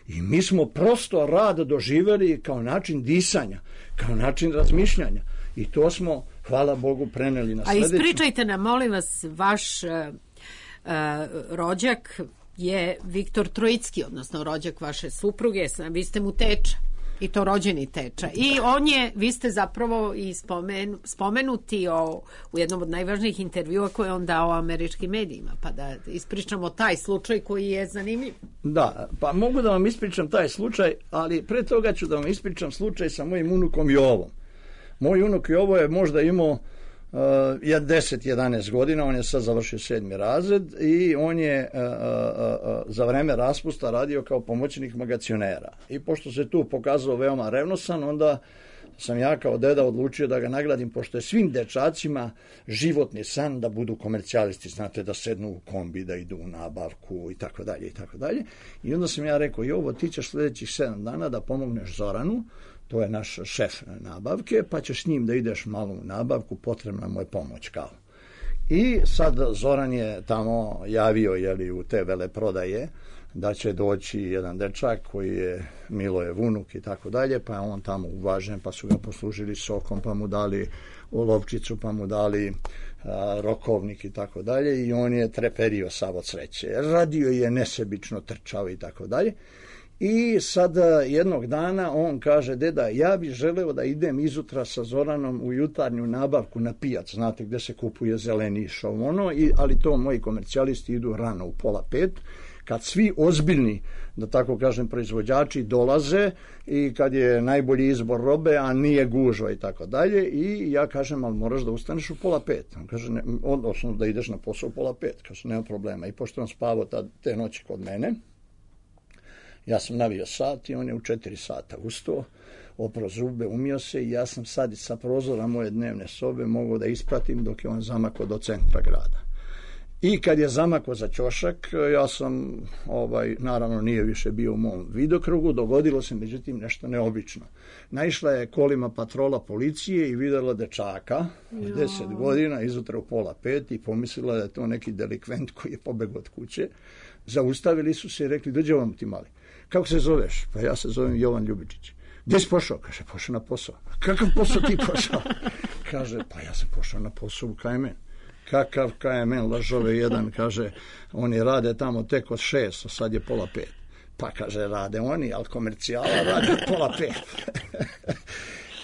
I mi smo prosto rad doživjeli kao način disanja, kao način razmišljanja. I to smo, hvala Bogu, preneli na sledeću. A ispričajte nam, molim vas, vaš uh, uh, rođak je Viktor Trojicki, odnosno rođak vaše supruge, vi ste mu teča. I to rođeni teča. I on je, vi ste zapravo i spomen, spomenuti o, u jednom od najvažnijih intervjua koje on dao američkim medijima, pa da ispričamo taj slučaj koji je zanimljiv. Da, pa mogu da vam ispričam taj slučaj, ali pre toga ću da vam ispričam slučaj sa mojim unukom Jovom. Moj unuk Jovo je možda imao je deset jedanaest godina, on je sad završio sedmi razred i on je uh, uh, uh, za vreme raspusta radio kao pomoćnik magacionera. I pošto se tu pokazao veoma revnosan, onda sam ja kao deda odlučio da ga nagradim, pošto je svim dečacima životni san da budu komercijalisti, znate, da sednu u kombi, da idu u nabavku i tako dalje i tako dalje. I onda sam ja rekao, Jovo, ti ćeš sljedećih sedam dana da pomogneš Zoranu, to je naš šef nabavke, pa ćeš s njim da ideš malo u nabavku, potrebna mu je pomoć kao. I sad Zoran je tamo javio, jeli, u te veleprodaje, da će doći jedan dečak koji je Milojev unuk i tako dalje, pa je on tamo uvažen, pa su ga poslužili sokom, pa mu dali olovčicu, pa mu dali a, rokovnik i tako dalje, i on je treperio sav od sreće. Radio je nesebično, trčao i tako dalje. I sad jednog dana on kaže, deda, ja bih želeo da idem izutra sa Zoranom u jutarnju nabavku na pijac, znate, gde se kupuje zeleni šov, ono, i, ali to moji komercijalisti idu rano u pola pet, kad svi ozbiljni, da tako kažem, proizvođači dolaze i kad je najbolji izbor robe, a nije gužva i tako dalje, i ja kažem, ali moraš da ustaneš u pola pet. On kaže, ne, odnosno da ideš na posao u pola pet. Kaže, nema problema. I pošto on spavao ta, te noći kod mene, ja sam navio sat i on je u četiri sata ustao, oprao zube, umio se, i ja sam sad sa prozora moje dnevne sobe mogao da ispratim dok je on zamakao do centra grada. I kad je zamakao za ćošak, ja sam, ovaj, naravno nije više bio u mom vidokrugu, dogodilo se međutim nešto neobično. Naišla je kolima patrola policije i vidjela dečaka, deset godina, izutra u pola pet, i pomislila da je to neki delikvent koji je pobegao od kuće. Zaustavili su se i rekli, dođe vam ti mali. Kako se zoveš? Pa ja se zovem Jovan Ljubičić. Gdje si pošao? Kaže, pošao na posao. Kakav posao ti pošao? Kaže, pa ja sam pošao na posao u K M N. Kakav K M N, lažove jedan, kaže, oni rade tamo tek od šest, a sad je pola pet. Pa kaže, rade oni, ali komercijala rade od pola pet.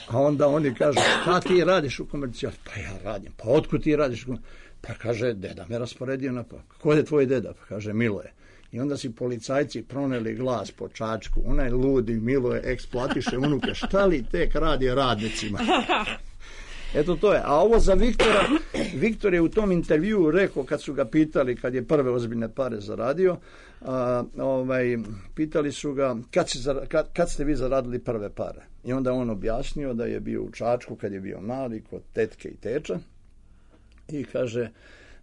A onda oni kažu, šta ti radiš u komercijali? Pa ja radim. Pa otkud ti radiš u komercijali? Pa kaže, deda me rasporedio na... Ko je tvoj deda? Pa kaže, Miloje. I onda si policajci proneli glas po Čačku. Onaj ludi Miloje eksplatiše unuke. Šta li tek radi radnicima? Eto to je. A ovo za Viktora, Viktor je u tom intervjuu rekao, kad su ga pitali, kad je prve ozbiljne pare zaradio, a, ovaj, pitali su ga, kad, si, kad, kad ste vi zaradili prve pare? I onda on objasnio da je bio u Čačku kad je bio mali, kod tetke i teča, i kaže,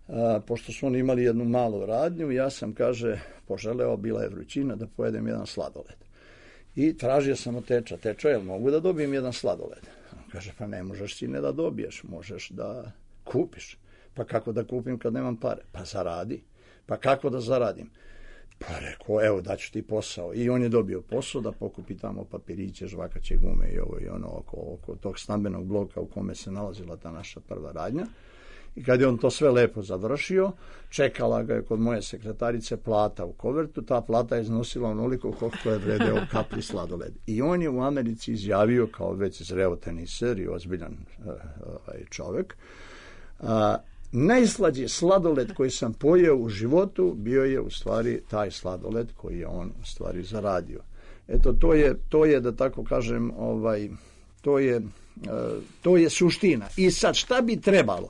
a, pošto su oni imali jednu malu radnju, ja sam, kaže, poželeo, bila je vrućina, da pojedem jedan sladoled. I tražio sam od teča, teča, jel mogu da dobijem jedan sladoled? On kaže, pa ne možeš ti ne da dobiješ, možeš da kupiš. Pa kako da kupim kad nemam pare? Pa zaradi. Pa kako da zaradim? Pa rekao, evo, daću ti posao. I on je dobio posao da pokupi tamo papiriće, žvakaće gume i ovo i ono oko, oko tog stambenog bloka u kome se nalazila ta naša prva radnja. I kad je on to sve lepo završio, čekala ga je kod moje sekretarice plata u kovertu. Ta plata je iznosila onoliko koliko je vredeo kapli sladoled. I on je u Americi izjavio, kao već zreo teniser i ozbiljan uh, uh, čovjek, uh, najslađi sladoled koji sam pojeo u životu bio je u stvari taj sladoled koji je on u stvari zaradio. Eto, to je, to je da tako kažem, ovaj, to je, uh, to je suština. I sad šta bi trebalo?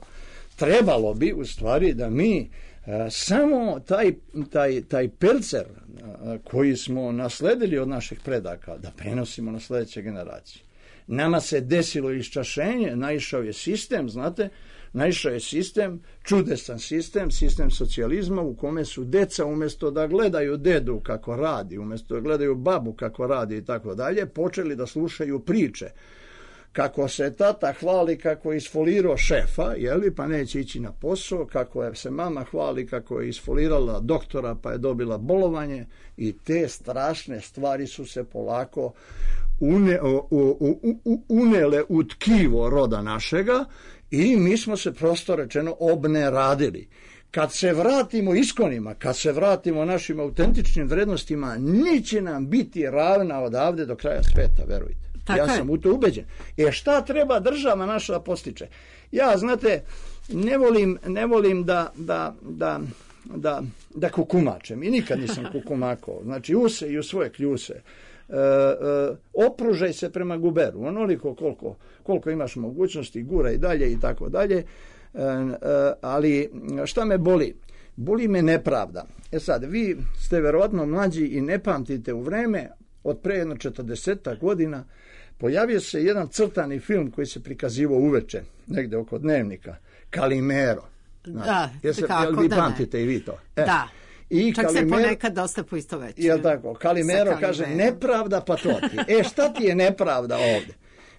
Trebalo bi u stvari da mi a, samo taj, taj, taj pelcer a, koji smo nasledili od naših predaka da prenosimo na sljedeće generacije. Nama se desilo iščašenje, naišao je sistem, znate, naišao je sistem, čudesan sistem, sistem socijalizma u kome su deca umjesto da gledaju dedu kako radi, umjesto da gledaju babu kako radi i tako dalje, počeli da slušaju priče. Kako se tata hvali kako je isfolirao šefa, jeli, pa neće ići na posao, kako je se mama hvali kako je isfolirala doktora pa je dobila bolovanje, i te strašne stvari su se polako une, u, u, u, unele u tkivo roda našega i mi smo se prosto rečeno obneradili. Kad se vratimo iskonima, kad se vratimo našim autentičnim vrednostima, neće nam biti ravna odavde do kraja sveta, verujte. Tako ja je. Sam u to ubeđen. E šta treba država naša da postiče? Ja, znate, ne volim, ne volim da, da, da, da, da kukumačem. I nikad nisam kukumakao. Znači, use i u svoje kljuse. e, e, opružaj se prema guberu, onoliko koliko, koliko imaš mogućnosti, gura i dalje i tako dalje, e, e, ali šta me boli? Boli me nepravda. E sad, vi ste verovatno mlađi i ne pamtite u vreme, od pre jedno četrdesetak godina, pojavio se jedan crtani film koji se prikazivao uveče, negde oko Dnevnika, Kalimero. Da, Jeste, kako jel vi da pamtite ne. i vi to? E. Da, I čak Kalimero, se ponekad dosta poistovećuje. Jel tako? Kalimero kaže, nepravda pa to ti. E, šta ti je nepravda ovde?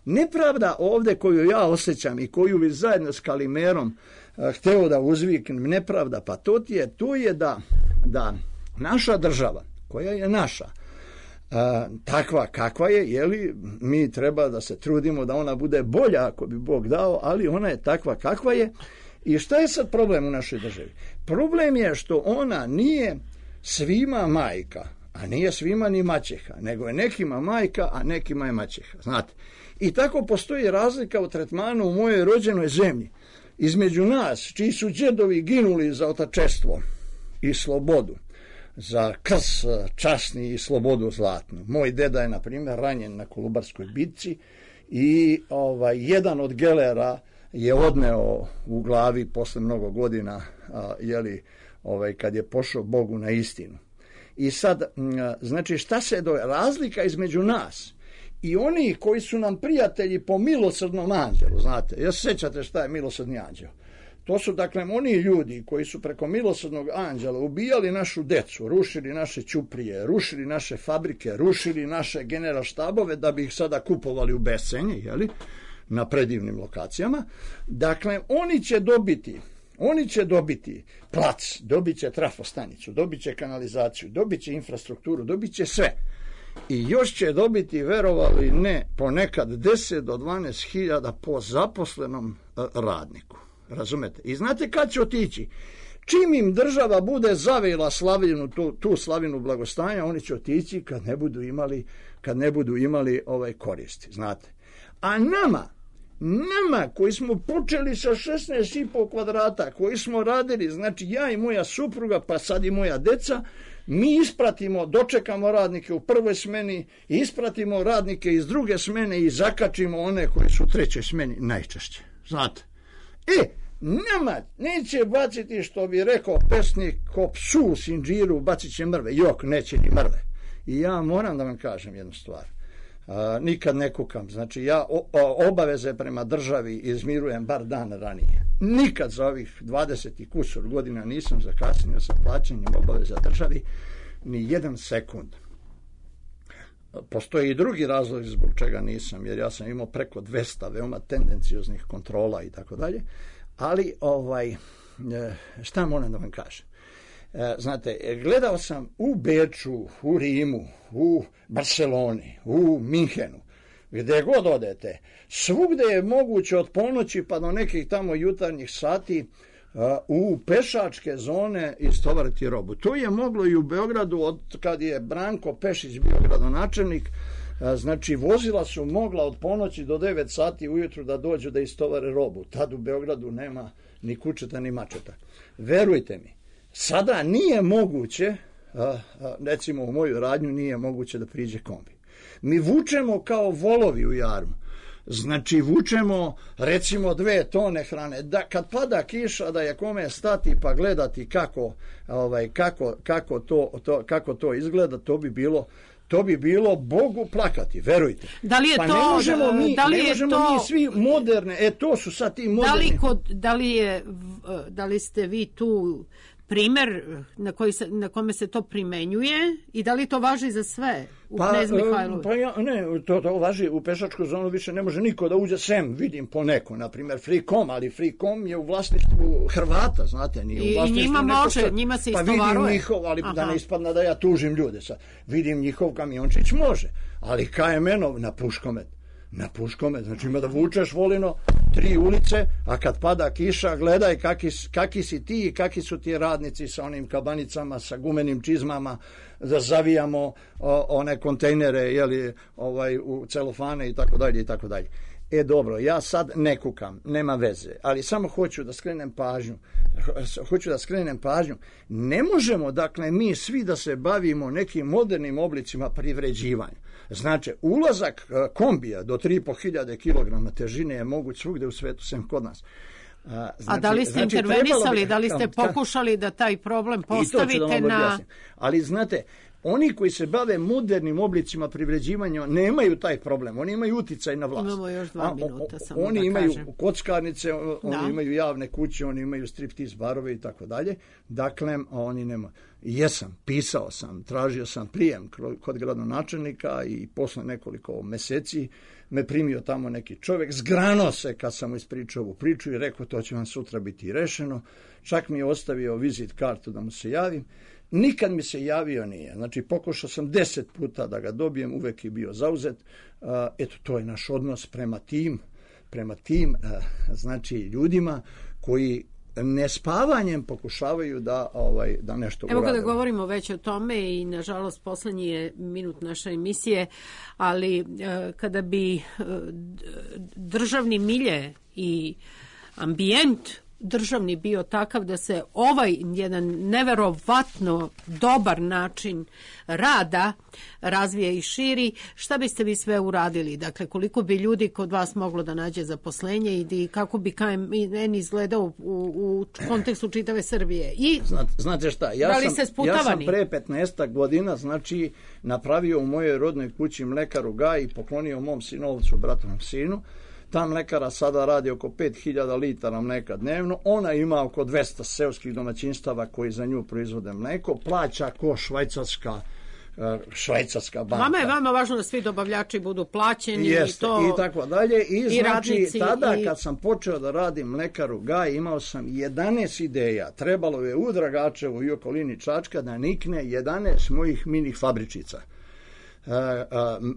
Nepravda ovde koju ja osjećam i koju bi zajedno s Kalimerom uh, hteo da uzviknem, nepravda pa to ti je, to je da, da naša država, koja je naša, uh, takva kakva je, jeli, mi treba da se trudimo da ona bude bolja ako bi Bog dao, ali ona je takva kakva je. I šta je sad problem u našoj državi? Problem je što ona nije svima majka, a nije svima ni maćeha, nego je nekima majka, a nekima je maćeha, znate. I tako postoji razlika u tretmanu u mojoj rođenoj zemlji između nas, čiji su đedovi ginuli za otačestvo i slobodu, za krs časni i slobodu zlatnu. Moj deda je, na primjer, ranjen na Kolubarskoj bitci i ovaj, jedan od gelera je odneo u glavi posle mnogo godina, a, jeli, ovaj, kad je pošao Bogu na istinu. I sad, znači, šta se do razlika između nas i oni koji su nam prijatelji po milosrdnom anđelu, znate, ja se sećate šta je milosrdni anđel. To su, dakle, oni ljudi koji su preko milosrdnog anđela ubijali našu decu, rušili naše ćuprije, rušili naše fabrike, rušili naše generalštabove da bi ih sada kupovali u bescenje, jeli, na predivnim lokacijama. Dakle, oni će dobiti Oni će dobiti plac, dobit će trafostanicu, dobit će kanalizaciju, dobit će infrastrukturu, dobit će sve. I još će dobiti, verovali ne, ponekad deset do dvanaest hiljada po zaposlenom radniku. Razumete? I znate kad će otići? Čim im država bude zavila slavinu, tu, tu slavinu blagostanja, oni će otići kad ne budu imali, kad ne budu imali ovaj koristi. Znate? A nama, Nama koji smo počeli sa šesnaest i po kvadrata, koji smo radili, znači ja i moja supruga, pa sad i moja deca, mi ispratimo, dočekamo radnike u prvoj smeni, ispratimo radnike iz druge smene i zakačimo one koji su u trećoj smeni najčešće. Znate? E, nama neće baciti, što bi rekao pesnik, ko psu u sinđiru, bacit će mrve. Jok, neće ni mrve. I ja moram da vam kažem jednu stvar. A, nikad ne kukam, znači ja o, o, obaveze prema državi izmirujem bar dan ranije. Nikad za ovih dvadeset i kusur godina nisam zakasnio sa plaćanjem obaveza državi ni jedan sekund. Postoji i drugi razlog zbog čega nisam, jer ja sam imao preko dvesta veoma tendencioznih kontrola i tako dalje, ali ovaj, šta moram da vam kažem? Znate, gledao sam u Beču, u Rimu, u Barceloni, u Minhenu, gde god odete, svugde je moguće od ponoći pa do nekih tamo jutarnjih sati u pešačke zone istovariti robu. To je moglo i u Beogradu od kad je Branko Pešić bio gradonačelnik. Znači, vozila su mogla od ponoći do devet sati ujutru da dođu da istovare robu. Tad u Beogradu nema ni kučeta ni mačeta. Verujte mi, sada nije moguće, recimo u moju radnju nije moguće da priđe kombi. Mi vučemo kao volovi u jarmu. Znači, vučemo recimo dve tone hrane. Da, kad pada kiša, da je kome stati pa gledati kako, ovaj, kako, kako, to, to, kako to izgleda, to bi bilo to bi bilo Bogu plakati, verujte. Da li je pa to, ne možemo mi, da li ne je možemo to, mi svi moderne, e to su sad ti moderni. Da li, kod, da li, je, da li ste vi tu primer na, koji se, na kome se to primenjuje i da li to važi za sve u pa, Knez Mihajlovu? Pa ja, ne, to, to važi u pešačku zonu, više ne može niko da uđe sem, vidim po neko, na primjer Freecom, ali Freecom je u vlasništvu Hrvata, znate, nije u vlasništvu. I njima može, sad, njima se pa istovaruje. vidim njihov, ali Aha. da ne ispadne da ja tužim ljude sad, vidim njihov kamiončić može, ali K M N-ov na Puškomet, na Puškomet, znači ima da vučeš volino tri ulice, a kad pada kiša gledaj kaki, kaki si ti i kaki su ti radnici sa onim kabanicama, sa gumenim čizmama, da zavijamo o, one kontejnere, jeli, ovaj, u celofane i tako dalje i tako dalje. E dobro, ja sad ne kukam, nema veze, ali samo hoću da skrenem pažnju, hoću da skrenem pažnju, ne možemo, dakle, mi svi da se bavimo nekim modernim oblicima privređivanja. Znači, ulazak kombija do tri i po hiljade kilograma težine je moguć svugde u svetu, sem kod nas. A, znači, a da li ste znači, intervenisali, bi, da li ste pokušali da taj problem postavite da na... Ali znate, oni koji se bave modernim oblicima privređivanja nemaju taj problem, oni imaju uticaj na vlast. Imamo još dva minuta, samo oni da imaju kažem. kockarnice, oni da. imaju javne kuće, oni imaju striptiz barove i tako dalje. Dakle, oni nema. Jesam, pisao sam, tražio sam prijem kod gradonačelnika i posle nekoliko meseci me primio tamo neki čovjek, zgrano se kad sam mu ispričao ovu priču i rekao to će vam sutra biti rešeno. Čak mi je ostavio vizit kartu da mu se javim. Nikad mi se javio nije. Znači, pokušao sam deset puta da ga dobijem, uvek je bio zauzet. Uh, eto, to je naš odnos prema tim, prema tim, uh, znači, ljudima koji nespavanjem pokušavaju da, ovaj, da nešto urade. Evo kada govorimo već o tome i nažalost poslednji je minut naše emisije, ali e, kada bi e, državni milje i ambijent državni bio takav da se ovaj jedan neverovatno dobar način rada razvije i širi, šta biste vi sve uradili? Dakle, koliko bi ljudi kod vas moglo da nađe zaposlenje i kako bi K M N izgledao u, u kontekstu čitave Srbije? I znate, znate šta, ja, da li sam, ja sam pre petnaestak godina, znači, napravio u mojoj rodnoj kući mlekaru Gaj i poklonio mom sinovcu, bratovom sinu. Ta mlekara sada radi oko pet hiljada litara mleka dnevno. Ona ima oko dvesta seoskih domaćinstava koji za nju proizvode mleko. Plaća ko švajcarska, švajcarska banka. Vama je vama važno da svi dobavljači budu plaćeni. Jeste, i to... i tako dalje. I, I znači, radnici, tada i... kad sam počeo da radim mlekaru Gaj, imao sam jedanaest ideja. Trebalo je u Dragačevu i okolini Čačka da nikne jedanaest mojih mini fabričica. Uh,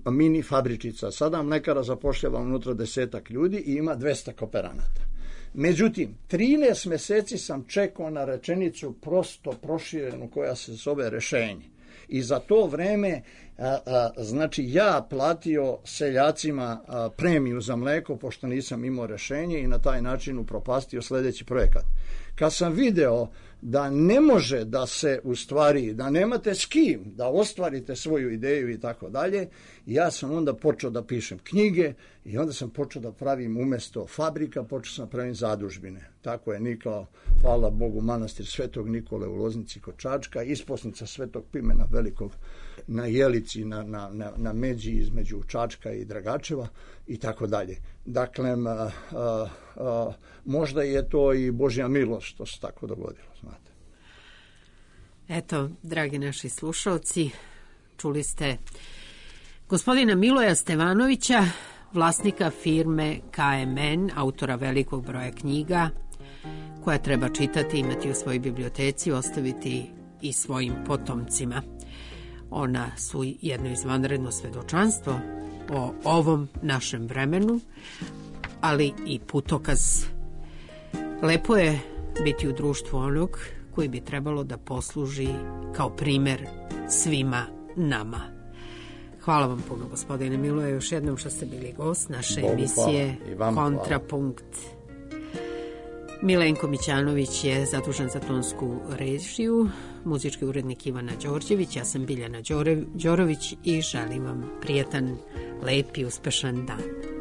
uh, mini fabričica. Sada mlekara zapošljava unutra desetak ljudi i ima dvesta kooperanata. Međutim, trinaest meseci sam čekao na rečenicu prosto proširenu koja se zove rešenje. I za to vreme a, a, znači ja platio seljacima a, premiju za mleko pošto nisam imao rešenje i na taj način upropastio sledeći projekat. Kad sam video da ne može da se u stvari, da nemate s kim da ostvarite svoju ideju i tako dalje, ja sam onda počeo da pišem knjige i onda sam počeo da pravim umesto fabrika, počeo sam da pravim zadužbine. Tako je nikao, hvala Bogu, manastir Svetog Nikole u Loznici kod Čačka, isposnica Svetog Pimena Velikog na Jelici, na, na, na, na međi između Čačka i Dragačeva i tako dalje. Dakle, a, a, a, možda je to i Božja milost što se tako dogodilo, znate. Eto, dragi naši slušalci, čuli ste gospodina Miloja Stevanovića, vlasnika firme K M N, autora velikog broja knjiga, koja treba čitati, imati u svojoj biblioteci, ostaviti i svojim potomcima. Ona su jedno izvanredno svedočanstvo o ovom našem vremenu, ali i putokaz. Lepo je biti u društvu onog koji bi trebalo da posluži kao primer svima nama. Hvala vam puno, gospodine Miloje, još jednom što ste bili gost naše Bogu emisije Kontrapunkt. Milenko Mićanović je zadužen za tonsku režiju, muzički urednik Ivana Đorđević, ja sam Biljana Đorović i želim vam prijetan, lep i uspešan dan.